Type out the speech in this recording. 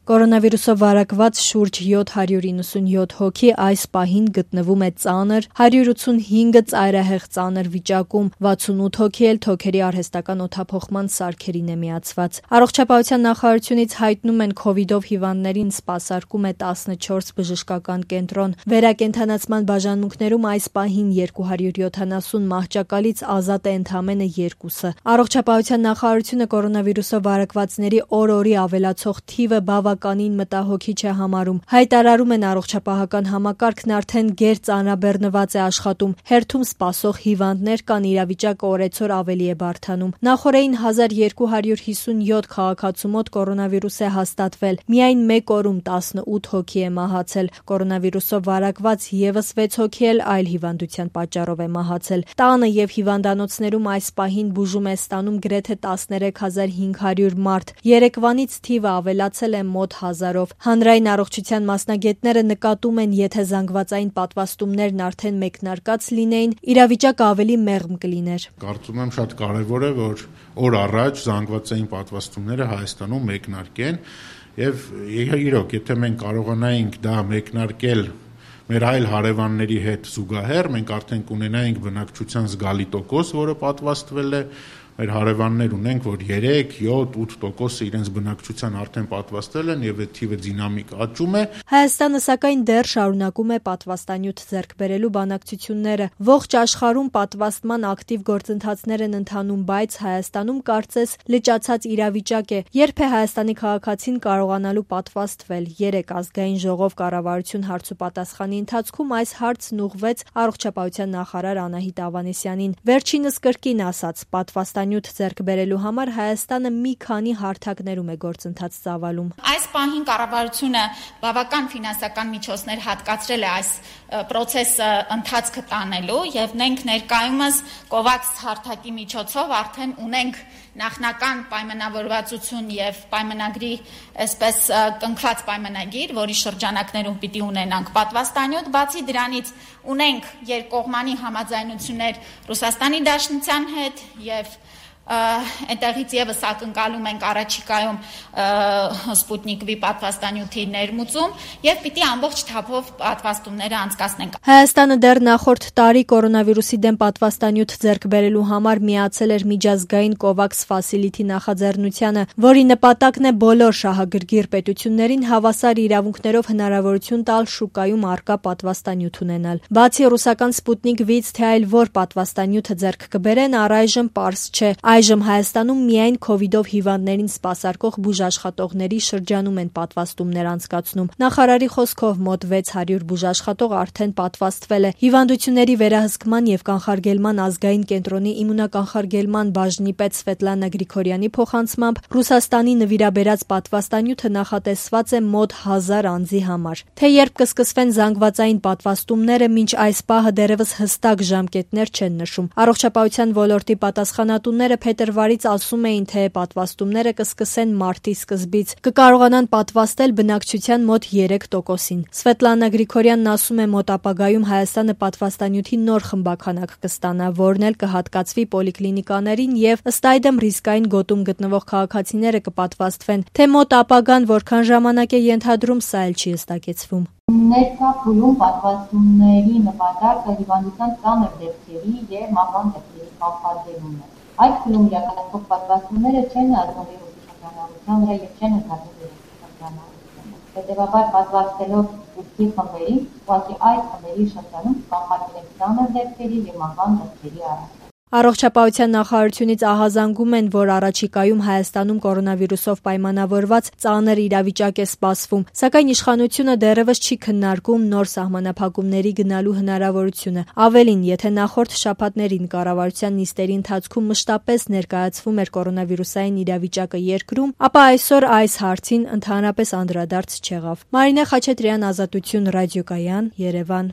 Կորոնավիրուսով վարակված շուրջ 797 հոգի այս պահին գտնվում է ծանր, 185-ը ծայրահեղ ծանր վիճակում, 68 հոգի էլ թոքերի արհեստական օդափոխման սարքերին է միացված։ Առողջապահության նախարարությունից հայտնում են քովիդով հիվանդներին սպասարկում է 14 բժշկական կենտրոն։ Վերակենդանացման բաժանմունքներում այս պահին 270 մահճակալից ազատ է ընդամենը 2-ը։ Առողջապահության նախարարությունը կորոնավիրուսով վարակվածների օր-օրի ավելացող թիվը բավականին մտահոգիչ է համարում։ Հայտարարում են առողջապահական համակարգն արդեն գերծանրաբեռնված է աշխատում, հերթում սպասող հիվանդներ կան, իրավիճակը օրեցօր ավելի է բարդանում։ Նախորդին 1257 քաղաքացու մոտ կորոնավիրուս է հաստատվել, միայն մեկ օրում 18 հոգի է մահացել։ Կորոնավիրուսով վարակված եւս 6 հոգի էլ այլ հիվանդության պատճառով է մահացել։ Տանը եւ հիվանդանոցներում այս պահին բուժում է ստանում գրեթե 13500 մարդ։ Երեկվանից թիվը ավելացել է մոտ 1000-ով։ Հանրային առողջության մասնագետները նկատում են, եթե զանգվածային պատվաստումներն արդեն մեկնարկած լինեին, իրավիճակը ավելի մեղմ կլիներ։ Կարծում եմ շատ կարևոր է, որ օր առաջ զանգվածային պատվաստումները Հայաստանում մեկնարկեն եւ իրոք, եթե մենք կարողանայինք դա մեկնարկել մեր այլ հարևանների հետ զուգահեռ, մենք արդեն կունենայինք բնակչության զգալի տոկոս, որը պատվաստվել է։ Մեր հարևաններ ունենք, որ 3, 7, 8% իրենց բնակչության արդեն պատվաստել են եւ այդ թիվը դինամիկ աճում է։ Հայաստանը սակայն դեռ շարունակում է պատվաստանյութ ձեռք բերելու բանակցությունները։ Ողջ աշխարհում պատվաստման ակտիվ գործընթացներ են ընթանում, բայց Հայաստանում կարծես լճացած իրավիճակ է։ Երբ է Հայաստանի քաղաքացին կարողանալու պատվաստվել։ 3 ազգային ժողով կառավարություն հարցուպատասխանի ընթացքում այս հարցն ուղղվեց առողջապահության նախարար Անահիտ Ավանեսյանին։ Վերջինս կրկին ասաց, պատվաստանյութ ձեռք բերելու համար Հայաստանը մի քանի հարթակներում է գործընթաց ծավալում։ Այս պահին կառավարությունը բավական ֆինանսական միջոցներ հատկացրել է այս process-ը ընթացքը տանելու եւ մենք ներկայումս COVAX հարթակի միջոցով արդեն ունենք նախնական պայմանավորվածություն եւ պայմանագրի այսպես կնքված պայմանագիր, որի շրջանակներում պիտի ունենանք պատվաստանյութ, բացի դրանից ունենք երկկողմանի համաձայնություններ Ռուսաստանի Դաշնության հետ եւ այնտեղից եւս ակնկալում ենք առաջիկայում Սպուտնիկ V պատվաստանյութի ներմուծում եւ պիտի ամբողջ թափով պատվաստումները անցկացնենք։ Հայաստանը դեռ նախորդ տարի կորոնավիրուսի դեմ պատվաստանյութ ձեռք բերելու համար միացել էր միջազգային COVAX Facility նախաձեռնությանը, որի նպատակն է բոլոր շահագրգիռ պետություններին հավասար իրավունքներով հնարավորություն տալ շուկայում առկա պատվաստանյութ ունենալ։ Բացի ռուսական Սպուտնիկ V-ից, թե այլ որ պատվաստանյութը ձեռք կբերեն, առայժմ պարզ չէ։ Այժմ Հայաստանում միայն քովիդով հիվանդներին սպասարկող բուժաշխատողների շրջանում են պատվաստումներ անցկացնում։ Նախարարի խոսքով մոտ 600 բուժաշխատող արդեն պատվաստվել է։ Հիվանդությունների վերահսկման եւ կանխարգելման ազգային կենտրոնի իմունականխարգելման բաժնի պետ Սվետլանա Գրիգորյանի փոխանցմամբ Ռուսաստանի նվիրաբերած պատվաստանյութը նախատեսված է մոտ 1000 անձի համար։ Թե երբ կսկսվեն զանգվածային պատվաստումները, մինչ այս պահը դեռևս հստակ ժամկետներ չեն նշում։ Առողջապահության ոլորտի պատասխանատուները փետրվարից ասում էին, թե պատվաստումները կսկսեն մարտի սկզբից։ Կկարողանան պատվաստել բնակչության մոտ 3%-ին։ Սվետլանա Գրիգորյանն ասում է, մոտ ապագայում Հայաստանը պատվաստանյութի նոր խմբաքանակ կստանա, որն էլ կհատկացվի պոլիկլինիկաներին եւ ըստ այդմ ռիսկային գոտում գտնվող քաղաքացիները կպատվաստվեն։ Թե մոտ ապագան որքան ժամանակ է ենթադրում, սա էլ չի հստակեցվում։ Ներկա փուլում պատվաստումների նպատակը հիվանդության ծանր դեպքերի եւ մահվան դեպքերի կանխարգելումն է։ Այդ փուլում իրականացվող պատվաստումները չեն ազդում վիրուսի վրա եւ չեն ընդհանրում վիրուսի։ Հետևաբար պատվաստելով ուսի խմբերին, ուղղակի այդ խմբերի շրջանում կանխարգելենք ծանր դեպքերի եւ մահվան դեպքերի առնչվը։ Առողջապահության նախարարությունից ահազանգում են, որ առաջիկայում Հայաստանում կորոնավիրուսով պայմանավորված ծանր իրավիճակ է սպասվում, սակայն իշխանությունը դեռևս չի քննարկում նոր սահմանափակումների գնալու հնարավորությունը։ Ավելին, եթե նախորդ շաբաթներին կառավարության նիստերի ընթացքում մշտապես ներկայացվում էր կորոնավիրուսային իրավիճակը երկրում, ապա այսօր այս հարցին ընդհանրապես անդրադարձ չեղավ։ Մարինե Խաչատրյան, Ազատություն, Ռադիոկայան, Երևան։